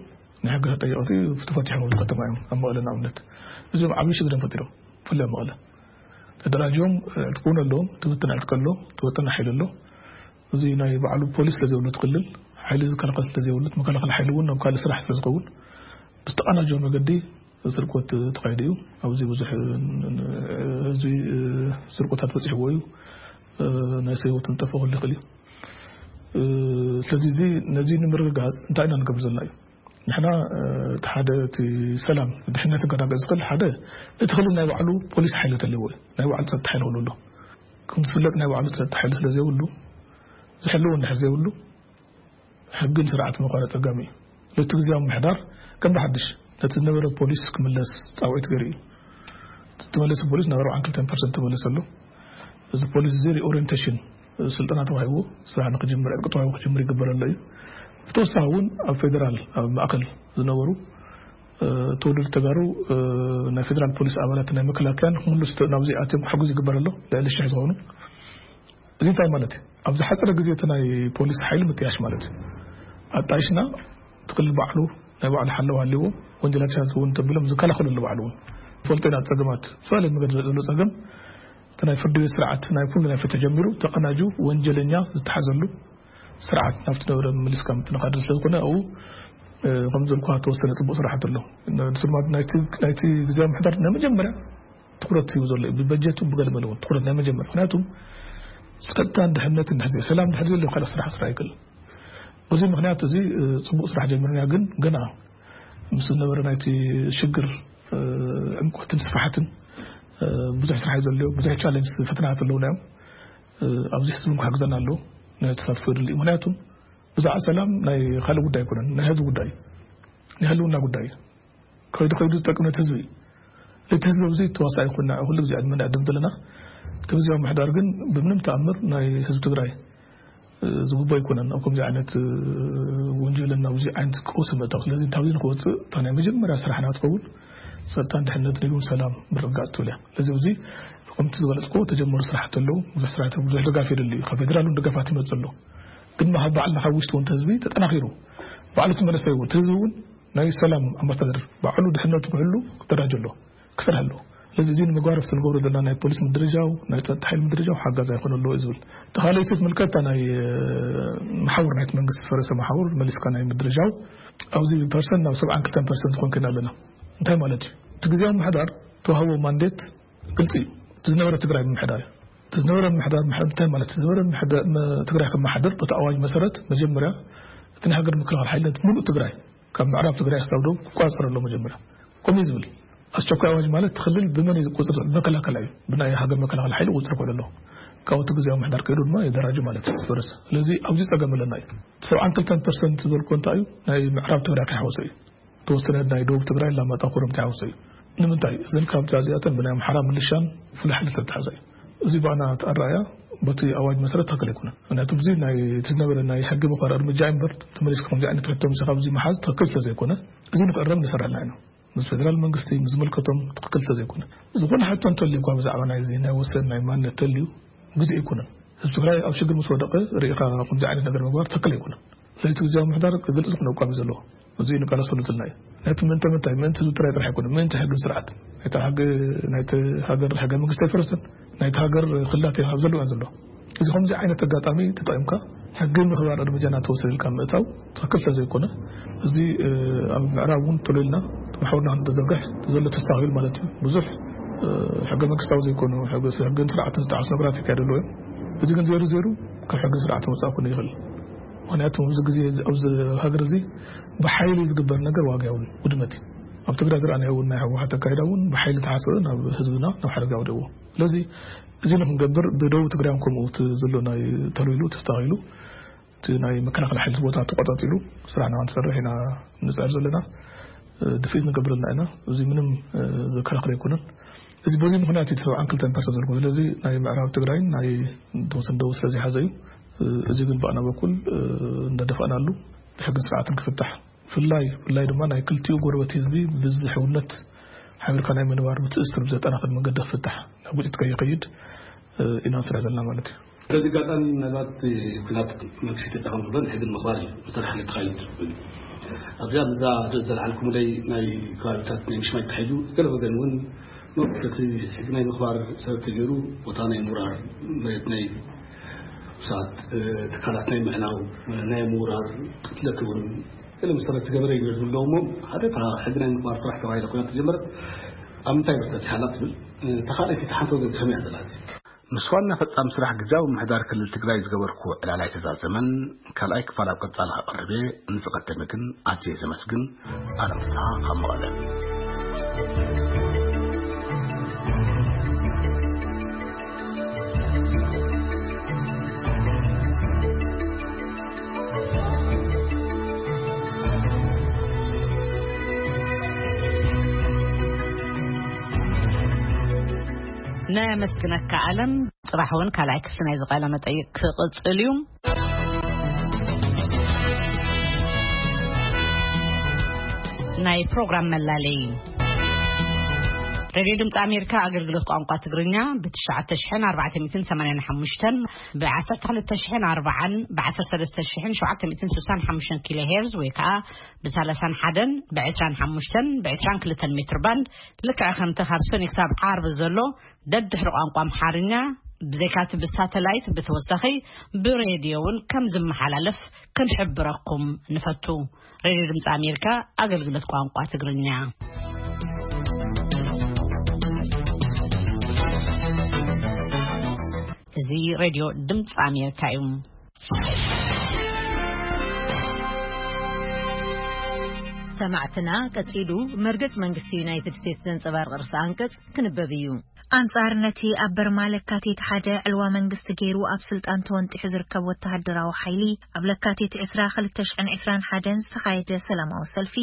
ናይ ሕጊ ተጠየቕቲ ተፈቲሖም ኣብዚ ከተማ እዮም። ኣብ መቐለ ንኣብነት እዚኦም ዓብዪ ሽግር እዮም ፈጢሮም። ብፍላይ ኣብ መቐለ ተደራጅዮም፣ እ፣ ዕጥቂ እውን ኣለዎም። ትብትን ዕጥቂ ኣሎ፣ ትወጥን ሓይሊ ኣሎ። እዚ ናይ ባዕሉ ፖሊስ ስለ ዘይብሉ እቲ ክልል፣ ሓይሊ ዝከላኸል ስለ ዘይብሉ፣ እቲ መከላኸሊ ሓይሊ እውን ናብ ካልእ ስራሕ ስለ ዝኸውን ብዝተቐናጀወ መገዲ ስርቆት ተኻይዱ እዩ። ኣብዚ ብዙሕ፣ እ፣ ህዝቢ፣ እ፣ ስርቆታት በፂሕዎ እዩ። እ፣ ናይ ሰብ ህይወት እንጠፍኦ ክህሉ ይኽእል እዩ። እ፣ ስለዚ እዚ፣ ነዚ ንምርግጋፅ እንታይ ኢና ንገብር ዘለና እዩ? ንሕና፣ እ፣ እቲ ሓደ እቲ ሰላም ድሕነት ክረጋገፅ ዝኽእል ሓደ እቲ ክልል ናይ ባዕሉ ፖሊስ ሓይሊ ተለዎ እዩ። ናይ ባዕሉ ፀጥታ ሓይሊ ክህሉ ኣሎ። ከም ዝፍለጥ ናይ ባዕሉ ፀጥታ ሓይሊ ስለ ዘይብሉ ዝሕልዎ እንድሕር ዘይብሉ ሕግን ስርዓትን ምዃን ኣጸጋሚ እዩ። ለቲ ግዜያዊ ምምሕዳር ከም ብሓድሽ ነቲ ዝነበረ ፖሊስ ክምለስ ጻውዒት ገይሩ እዩ። ዝተመለሰ ፖሊስ ናብ ኣርባዓን ክልተን ፐርሰንት ተመለሰ ኣሎ። እዚ ፖሊስ እዚ ሪኦሪየንቴሽን ስልጠና ተዋሂቡ ስራሕ ንክጅምር ዕጥቂ ተዋሂቡ ክጅምር ይግበር ኣሎ እዩ። ብተወሳኺ እውን ኣብ ፌደራል ኣብ ማእከል ዝነበሩ፣ እ፣ ተወለድቲ ተጋሩ፣ እ፣ ናይ ፌደራል ፖሊስ ኣባላት ናይ መከላከያን ክምልሱ ተ-፣ ናብዚ ኣትዮም ክሕግዙ ይግበር ኣሎ። ልዕሊ ሽሕ ዝኾኑ እዚ እንታይ ማለት እዩ? ኣብ ዝሓጸረ ግዜ እቲ ናይ ፖሊስ ሓይሊ ምጥያሽ ማለት እዩ። ኣጣይሽና እቲ ክልል ባዕሉ ናይ ባዕሉ ሓለዋ ሃልይዎ ወንጀላትሻት እውን ተቢሎም ዝከላኸሉ ኣሎ ባዕሉ እውን። ፈልጦ ኢና ጸገማት፣ ዝተፈላለዩ መገዲ ዘሎ ጸገም እቲ ናይ ፍርዲ ቤት ስርዓት ናይ ኩሉ ናይ ፍትሒ ጀሚሩ ተቐናጁ ወንጀለኛ ዝተሓዘሉ ስርዓት ናብቲ ነበረ ምልስካ ምትንኻድ ስለ ዝኾነ ኣብኡ እ፣ ከም ዘልኳ ተወሰነ ጽቡቕ ስራሓት ኣሎ። ንሱ ድማ ናይቲ፣ ናይቲ ግዜያዊ ምሕዳር ናይ መጀመርያ ትኹረት ሂቡ ዘሎ እዩ። ብበጀቱ ብገለ መለ እውን ትኹረት ናይ መጀመርያ። ምኽንያቱ ጸጥታን ድሕነትን ድሕር ዘይ-፣ ሰላም ድሕር ዘየሎ ካልእ ስራሕ ስራሕ ኣይክእልን። በዚ ምኽንያት እዚ፣ እ፣ ጽቡቕ ስራሕ ጀሚርና፣ ግን ገና ምስ ዝነበረ ናይቲ ሽግር፣ እ፣ ዕምቆትን ስፍሓትን፣ እ፣ ብዙሕ ስራሕ እዩ ዘሎ፣ ብዙሕ ቻለንጅ ፈተናታት ኣለውና እዮም። እ፣ ኣብዚ ሕዚ እውን ክሕግዘና ኣለዎ፣ ናይ ተሳትፎ የድሊ እዩ። ምኽንያቱ ብዛዕባ ሰላም ናይ ካልእ ጉዳይ ኣይኮነን፣ ናይ ህዝቢ ጉዳይ እዩ። ናይ ህልውና ጉዳይ እዩ። ከይዱ ከይዱ ዝጠቅም ነቲ ህዝቢ እዩ። ነቲ ህዝቢ ኣብዚ ተዋሳኢ ኮይና ኩሉ ግዜ ዕድመ ንዕድም ዘለና። እቲ ግዜያዊ ምሕዳር ግን ብምንም ተኣምር ናይ ህዝቢ ትግራይ፣ እ፣ ዝግቦ ኣይኮነን። ኣብ ከምዚ ዓይነት፣ እ፣ ወንጀልን ኣብዚ ዓይነት ቀውሲ ምእታው። ስለዚ እንታብ ንክወፅእ እታ ናይ መጀመርያ ስራሕና ትኸውን ጸጥታን ድሕነትን እዩ፣ ሰላም ምርግጋጽ ትብል እያ። ስለዚ ኣብዚ ከምቲ ዝበለጽኩ ተጀመሩ ስራሕቲ ኣለዉ። ብዙሕ ስራሕቲ፣ ብዙሕ ድጋፍ የድሊ እዩ። ካብ ፌደራል እውን ድጋፋት ይመጽእ ኣሎ። ግን ካብ ባዕልና ካብ ውሽጢ እውን እቲ ህዝቢ ተጠናኺሩ ባዕሉ እቲ መንእሰይ እውን፣ እቲ ህዝቢ እውን ናይ ሰላም ኣምባሳደር ባዕሉ ድሕነቱ ክሕሉ ክደራጀ ኣለዎ፣ ክሰርሕ ኣለዎ። ስለዚ እዚ ንምግባር ኣብቲ ንገብሮ ዘለና ናይ ፖሊስ ምድርጃው፣ ናይ ጸጥታ ሓይሊ ምድርጃው ሓጋዚ ኣይኮነ ኣለዎ እዩ ዝብል። እቲ ካልኣይቲ ትምልከታ ናይ፣ እ፣ መሓውር ናይቲ መንግስቲ ዝፈረሰ መሓውር መሊስካ ናይ ምድርጃው፣ ኣብዚ ፐርሰንት ናብ ሰብዓን ክልተን ፐርሰንት ዝኾን ኮይና ኣለና። እንታይ ማለት እዩ? እቲ ግዜያዊ ምሕዳር ተዋህቦ ማንዴት ግልጺ እዩ። እቲ ዝነበረ ትግራይ ምምሕዳር እዩ። እቲ ዝነበረ ምምሕዳር ምሕ-፣ እንታይ ማለት እዩ? ዝነበረ ምምሕዳ-፣ መ-፣ ትግራይ ከመሓድር በቲ ኣዋጅ መሰረት መጀመርያ እቲ ናይ ሃገር ምክልኻል ሓይልነት ሙሉእ ትግራይ ካብ ምዕራብ ትግራይ ክሳብ ደቡብ ክቆጻጸር ኣለዎ መጀመርያ። ከምኡ እዩ ዝብል። ኣስቸኳይ ኣዋጅ ማለት እቲ ክልል ብመን እዩ ዝቆጻጸር? መከላከላ እዩ። ብናይ ሃገር መከላከል ሓይሊ ቁጽሪ ክውዕል ኣለዎ። ካብኡ እቲ ግዜያዊ ምምሕዳር ከይዱ ድማ ይደራጁ ማለት እዩ፣ ዝፈረሰ። ስለዚ ኣብዚ ጸገም ኣለና እዩ። እቲ ሰብዓን ክልተን ፐርሰንት ዝበልኩ እንታይ እዩ? ናይ ምዕራብ ትግራይ ከይሓወሰ እዩ። ተወሰነ ናይ ደቡብ ትግራይ፣ ላማጣ፣ ኮረም ተሓውሶ እዩ። ንምንታይ? እዘን ካብ እዚኣተን ብናይ ኣምሓራ ምልሻን ፍሉይ ሓይሊ ተተሓዘ እዩ። እዚ ባና እቲ ኣረኣእያ በቲ ኣዋጅ መሰረት ትኽክል ኣይኮነን። ምክንያቱ እዚ ናይ፣ እቲ ዝነበረ ናይ ሕጊ ምኽባር እርምጃ እምበር፣ ተመሊስካ ከምዚ ዓይነት ሕቶ ምስ ኣብዚ ምሓዝ ትኽክል ስለ ዘይኮነ፣ እዚ ንክእረም ንሰርሕ ኣለና ኢና። ምስ ፌደራል መንግስቲ፣ ምስ ዝምልከቶም ትኽክል ስለ ዘይኮነ። ዝኾነ ሕቶ እንተልዩ እኳ ብዛዕባ ናይዚ ናይ ወሰን ናይ ማንነት ተልዩ፣ ግዜ ኣይኮነን። ህዝቢ ትግራይ ኣብ ሽግር ምስ ወደቐ ርኢኻ ከምዚ ዓይነት ነገር ምግባር ትኽክል ኣይኮነን። ስለዚ እቲ ግዜያዊ ምምሕዳር ግልፂ ዝኾነ ኣቋም እዩ ዘለዎ። እዚ ንቃለሰሉ ዘለና እዩ። ነቲ ምእንተ ምንታይ፣ ምእንቲ ህዝቢ ትግራይ ጥራሕ ኣይኮነን፣ ምእንቲ ሕግን ስርዓት። ናይቲ ሕጊ፣ ናይቲ ሃገር ሕገ መንግስቲ ኣይፈረሰን። ናይቲ ሃገር ክልላት ኣብ ዘለዋ ዘሎ። እዚ ከምዚ ዓይነት ኣጋጣሚ ተጠቒምካ ሕጊ ምኽባር እርምጃ እናተወሰደ ኢልካ ምእታው ትኽክል ስለ ዘይኮነ፣ እዚ፣ እ፣ ኣብ ምዕራብ እውን ተሎ ኢልና መሓውርና ክንተዘርግሕ ዘሎ ተስተኻኺሉ ማለት እዩ። ብዙሕ፣ እ፣ ሕገ መንግስታዊ ዘይኮኑ ሕገ፣ ሕግን ስርዓትን ዝጠዓሱ ነገራት ይካየዱ ኣለዉ እዮም። እዚ ግን ዜሩ ዜሩ ካብ ሕግን ስርዓትን ወፃእ ክኾን ይኽእል። ምኽንያቱ ኣብዚ ግዜ እዚ፣ ኣብዚ ሃገር እዚ ብሓይሊ ዝግበር ነገር ዋጋ የብሉን፣ ውድመት እዩ። ኣብ ትግራይ ዝረኣናዮ እውን ናይ ህወሓት ኣካይዳ እውን ብሓይሊ ተሓሰበ ናብ ህዝብና ናብ ሓደጋ ወደዎ። ስለዚ እዚ ንክንገብር ብደቡብ ትግራይ እውን ከምኡ እቲ ዘሎ ናይ ተልዊሉ ተስተኻኺሉ እቲ ናይ መከላኸሊ ሓይሊ ቦታ ተቆፃፂሉ ስራሕና ክንሰርሕ ኢና ንፅዕር ዘለና። እ፣ ድፍኢት ንገብር ኣለና ኢና። እዚ ምንም፣ እ፣ ዘከራኽር ኣይኮነን። እዚ በዚ ምኽንያት እዩ እቲ ሰብዓን ክልተን ፐርሰንት ዘልኩ። ስለዚ ናይ ምዕራብ ትግራይን ናይ ተወሰነ ደቡብ ስለ ዘይሓዘ እዩ። እ፣ እዚ ግን ብኣና በኩል፣ እ፣ እንዳደፋእናሉ ብሕግን ስርዓትን ክፍታሕ፣ ብፍላይ፣ ብፍላይ ድማ ናይ ክልቲኡ ጎረበት ህዝቢ ብዝሕውነት ሓቢርካ ናይ ምንባር ምትእስስር ብዘጠናኽር መንገዲ ክፍታሕ፣ ናብ ግጭት ከይኸይድ፣ እ፣ ኢና ንሰርሕ ዘለና ማለት እዩ። በዚ ኣጋጣሚ ምናልባት ኩናት መንግስቲ ኢትዮጵያ ከም ዝብሎ ንሕግን ምኽባር እዩ መሰረት ሓይሊ ተኻይሉ ዝብል። ኣብዚኣ ነዛ ዘልዓልኩምለይ ናይ ከባቢታት ናይ ምሽማይ ተታሒዙ ገለ ወገን እውን ነቲ ሕጊ ናይ ምኽባር ሰበብ ተገይሩ ቦታ ናይ ምውራር፣ መሬት ናይ ውሳት፣ እ፣ ትካላት ናይ ምዕናው፣ ናይ ምውራር፣ ቅትለት እውን ገለ መሰረት ዝገበረ እዩ ዝብለዎ እሞ፣ ሓደ እታ ሕጊ ናይ ምኽባር ስራሕ ተባሂላ ኮይና ተጀመረት፣ ኣብ ምንታይ መሰረት ይሓላ ትብል? እ፣ እታ ካልኣይቲ፣ እታ ሓንቲ ወገን ከመይ እያ ዘላ? ምስ ዋና ፈጻሚ ስራሕ ግዝያዊ ምምሕዳር ክልል ትግራይ ዝገበርኩዎ ዕላል ኣይተዛዘመን። ካልኣይ ክፋል ኣብ ቀጻሊ ከቕርብ እየ። ንዝቐደመ ግን ኣዝየ ዘመስግን። ኣለም ፍስሓ ካብ መቐለ። ነመስግነካ ኣለም። ጽባሕ እውን ካልኣይ ክፍሊ ናይዚ ቃለ መጠይቅ ክቕጽል እዩ። ናይ ፕሮግራም መላለይ። ሬድዮ ድምፂ ኣሜሪካ ኣገልግሎት ቋንቋ ትግርኛ ብ ትሽዓተ ሽሕን ኣርባዕተ ሚእትን ሰማንያን ሓሙሽተን፣ ብ ዓሰርተ ክልተ ሽሕን ኣርባዓን፣ ብ ዓሰርተ ሰለስተ ሽሕን ሸውዓተ ሚእትን ስሳን ሓሙሽተን ኪሎ ሄርዝ ወይ ከዓ ብ ሰላሳን ሓደን፣ ብ ዕስራን ሓሙሽተን፣ ብ ዕስራን ክልተን ሜትር ባንድ፣ ልክዕ ከምቲ ካብ ሰኒ ክሳብ ዓርቢ ዘሎ ደድሕሪ ቋንቋ ኣምሓርኛ ብዘይካቲ ብሳተላይት ብተወሳኺ ብሬድዮ እውን ከም ዝመሓላለፍ ክንሕብረኩም ንፈቱ። ሬድዮ ድምፂ ኣሜሪካ ኣገልግሎት ቋንቋ ትግርኛ። እዚ ሬድዮ ድምፂ ኣሜሪካ እዩ። ሰማዕትና፣ ቀጺሉ መርገጽ መንግስቲ ዩናይትድ ስቴትስ ዘንጸባርቕ ርእሰ ኣንቀጽ ክንበብ እዩ። ኣንጻር ነቲ ኣብ በርማ ለካቲት ሓደ ዕልዋ መንግስቲ ገይሩ ኣብ ስልጣን ተወንጢሑ ዝርከብ ወተሃደራዊ ሓይሊ፣ ኣብ ለካቲት ዕስራ ክልተ ሽሕን ዕስራን ሓደን ዝተኻየደ ሰላማዊ ሰልፊ፣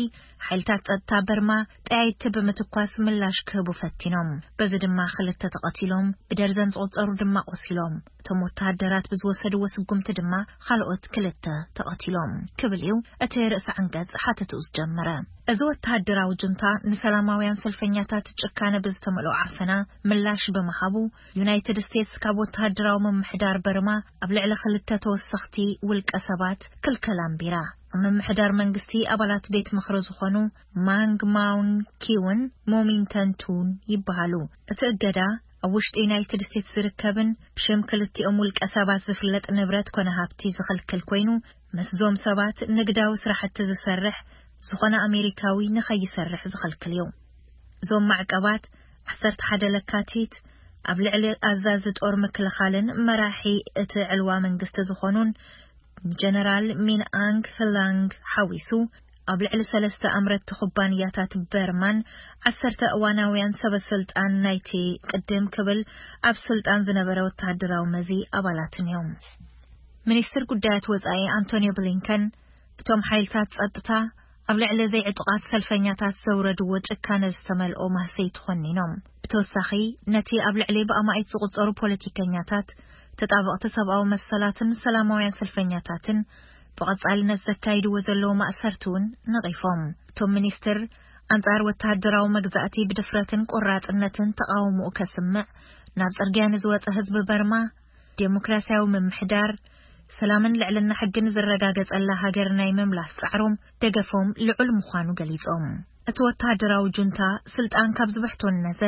ሓይልታት ጸጥታ በርማ ጠያይቲ ብምትኳስ ምላሽ ክህቡ ፈቲኖም። በዚ ድማ ክልተ ተቐቲሎም፣ ብደርዘን ዝቑጸሩ ድማ ቆሲሎም። እቶም ወተሃደራት ብዝወሰድዎ ስጉምቲ ድማ ካልኦት ክልተ ተቐቲሎም ክብል እዩ እቲ ርእሰ ዓንቀጽ ሓተቱ ዝጀመረ። እዚ ወተሃደራዊ ጁንታ ንሰላማውያን ሰልፈኛታት ጭካነ ብዝተመልኦ ዓፈና ምላሽ ብምሃቡ፣ ዩናይትድ ስቴትስ ካብ ወተሃደራዊ ምምሕዳር በርማ ኣብ ልዕሊ ክልተ ተወሰኽቲ ውልቀ ሰባት ክልከላ ኣንቢራ። ኣብ ምምሕዳር መንግስቲ ኣባላት ቤት ምኽሪ ዝኾኑ ማንግ ማውን ኪውን ሞሚንተን ቱን ይበሃሉ። እቲ እገዳ ኣብ ውሽጢ ዩናይትድ ስቴትስ ዝርከብን ብሽም ክልቲኦም ውልቀ ሰባት ዝፍለጥ ንብረት ኮነ ሃብቲ ዝኽልክል ኮይኑ፣ ምስዞም ሰባት ንግዳዊ ስራሕቲ ዝሰርሕ ዝኾነ ኣሜሪካዊ ንኸይሰርሕ ዝኽልክል እዩ። እዞም ማዕቀባት ዓሰርተ ሓደ ለካቲት ኣብ ልዕሊ ኣዛዚ ጦር ምክልኻልን መራሒ እቲ ዕልዋ መንግስቲ ዝኾኑን ጀነራል ሚን ኣንግ ህላንግ ሓዊሱ፣ ኣብ ልዕሊ ሰለስተ ኣምረትቲ ኩባንያታት በርማን ዓሰርተ እዋናውያን ሰበ ስልጣን ናይቲ ቅድም ክብል ኣብ ስልጣን ዝነበረ ወተሃደራዊ መዚ ኣባላትን እዮም። ሚኒስትር ጉዳያት ወጻኢ ኣንቶኒዮ ብሊንከን፣ እቶም ሓይልታት ጸጥታ ኣብ ልዕሊ ዘይዕጡቓት ሰልፈኛታት ዘውረድዎ ጭካነ ዝተመልኦ ማህሰይቲ ኮኒኖም። ብተወሳኺ፣ ነቲ ኣብ ልዕሊ ብኣማኢት ዝቑጸሩ ፖለቲከኛታት፣ ተጣበቕቲ ሰብኣዊ መሰላትን ሰላማውያን ሰልፈኛታትን ብቐጻልነት ዘካይድዎ ዘለዉ ማእሰርቲ እውን ነቒፎም። እቶም ሚኒስትር፣ ኣንጻር ወተሃደራዊ መግዛእቲ ብድፍረትን ቆራጽነትን ተቓውሞኡ ከስምዕ ናብ ጽርግያ ንዝወጸ ህዝቢ በርማ፣ ዴሞክራሲያዊ ምምሕዳር፣ ሰላምን ልዕልና ሕግን ዝረጋገጸላ ሃገር ናይ ምምላስ ጻዕሮም ደገፎም ልዑል ምዃኑ ገሊጾም። እቲ ወተሃደራዊ ጁንታ ስልጣን ካብ ዝበሕቶ ነዘ፣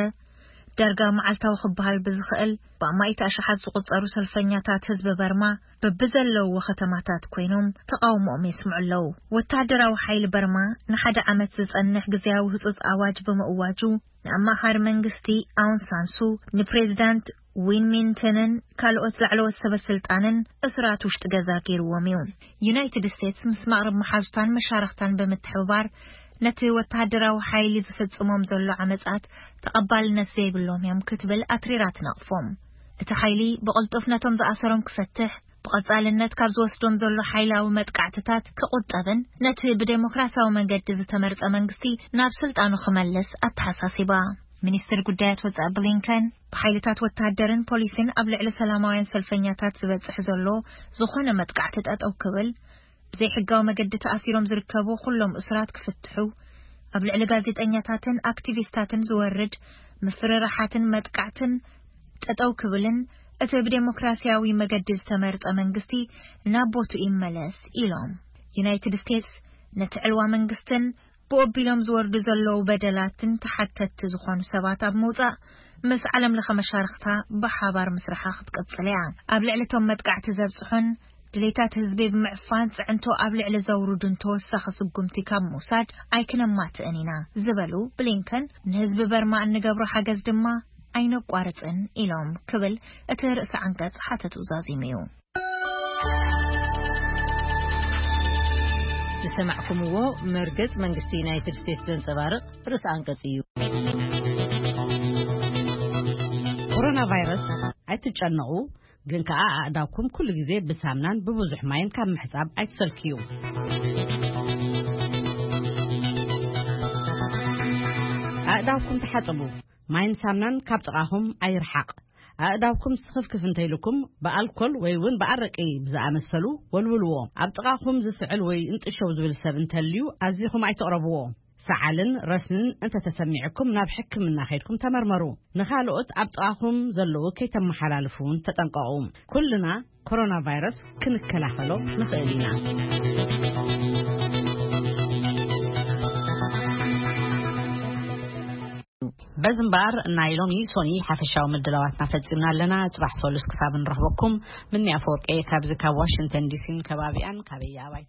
ዳርጋ መዓልታዊ ክበሃል ብዝኽእል ብኣማኢት ኣሽሓት ዝቑጸሩ ሰልፈኛታት ህዝቢ በርማ በብዘለውዎ ከተማታት ኮይኖም ተቓውሞኦም የስምዑ ኣለዉ። ወተሃደራዊ ሓይሊ በርማ ንሓደ ዓመት ዝጸንሕ ግዝያዊ ህጹጽ ኣዋጅ ብምእዋጁ፣ ንኣማኻሪ መንግስቲ ኣውን ሳንሱ፣ ንፕሬዚዳንት ዊን ሚንተንን ካልኦት ላዕለዎት ሰበ ስልጣንን እሱራት ውሽጢ ገዛ ገይርዎም እዩ። ዩናይትድ ስቴትስ ምስ ማቕረብ መሓዙታን መሻርኽታን ብምትሕብባር ነቲ ወተሃደራዊ ሓይሊ ዝፍጽሞም ዘሎ ዓመጻት ተቐባልነት ዘይብሎም እዮም ክትብል ኣትሪራ ትነቕፎም። እቲ ሓይሊ ብቕልጡፍ ነቶም ዝኣሰሮም ክፈትሕ፣ ብቐጻልነት ካብ ዝወስዶም ዘሎ ሓይላዊ መጥቃዕትታት ክቑጠብን ነቲ ብዴሞክራሲያዊ መንገዲ ዝተመርጸ መንግስቲ ናብ ስልጣኑ ክመልስ ኣተሓሳሲባ። ሚኒስትር ጉዳያት ወጻኢ ብሊንከን፣ ብሓይልታት ወተሃደርን ፖሊስን ኣብ ልዕሊ ሰላማውያን ሰልፈኛታት ዝበጽሕ ዘሎ ዝኾነ መጥቃዕቲ ጠጠው ክብል፣ ብዘይሕጋዊ መገዲ ተኣሲሮም ዝርከቡ ኩሎም እሱራት ክፍትሑ፣ ኣብ ልዕሊ ጋዜጠኛታትን ኣክቲቪስታትን ዝወርድ ምፍርራሓትን መጥቃዕትን ጠጠው ክብልን እቲ ብዴሞክራሲያዊ መገዲ ዝተመርጸ መንግስቲ ናብ ቦትኡ ይመለስ ኢሎም። ዩናይትድ ስቴትስ ነቲ ዕልዋ መንግስትን ብኦቢሎም ዝወርዱ ዘለዉ በደላትን ተሓተትቲ ዝኾኑ ሰባት ኣብ ምውጻእ ምስ ዓለም ለኸ መሻርኽታ ብሓባር ምስራሓ ክትቅጽል እያ። ኣብ ልዕሊ እቶም መጥቃዕቲ ዘብጽሑን ድሌታት ህዝቢ ብምዕፋን ጽዕንቶ ኣብ ልዕሊ ዘውርዱን ተወሳኺ ስጉምቲ ካብ ምውሳድ ኣይክነማትእን ኢና ዝበሉ ብሊንከን፣ ንህዝቢ በርማ እንገብሮ ሓገዝ ድማ ኣይነቋርጽን ኢሎም ክብል እቲ ርእሲ ዓንቀጽ ሓተቱ ዛዚሙ እዩ። ዝሰማዕኩምዎ መርገጽ መንግስቲ ዩናይትድ ስቴትስ ዘንጸባርቕ ርእሲ ኣንቀጽ እዩ። ኮሮና ቫይረስ ኣይትጨነቑ፣ ግን ከኣ ኣእዳውኩም ኩሉ ግዜ ብሳምናን ብብዙሕ ማይን ካብ ምሕጻብ ኣይትሰልክዩ። ኣእዳውኩም ተሓጸቡ፣ ማይን ሳምናን ካብ ጥቓኹም ኣይርሓቕ። ኣእዳውኩም ስኽፍክፍ እንተይልኩም ብኣልኮል ወይ እውን ብኣረቂ ብዝኣመሰሉ ወልውልዎ። ኣብ ጥቓኹም ዝስዕል ወይ እንጥሸው ዝብል ሰብ እንተልዩ ኣዚኹም ኣይትቕረብዎ። ሰዓልን ረስንን እንተተሰሚዕኩም ናብ ሕክምና ከይድኩም ተመርመሩ። ንኻልኦት ኣብ ጥቓኹም ዘለዉ ከይተመሓላልፉ እውን ተጠንቀቑ። ኩልና ኮሮና ቫይረስ ክንከላኸሎ ንኽእል ኢና። በዚ እምበኣር ናይ ሎሚ ሶኒ ሓፈሻዊ ምድላዋትና ፈጺምና ኣለና። ጽባሕ ሶሉስ ክሳብ ንረኽበኩም፣ ምኒ ኣፈወርቂ ካብዚ ካብ ዋሽንግተን ዲሲን ከባቢኣን ካበይ ኣባይ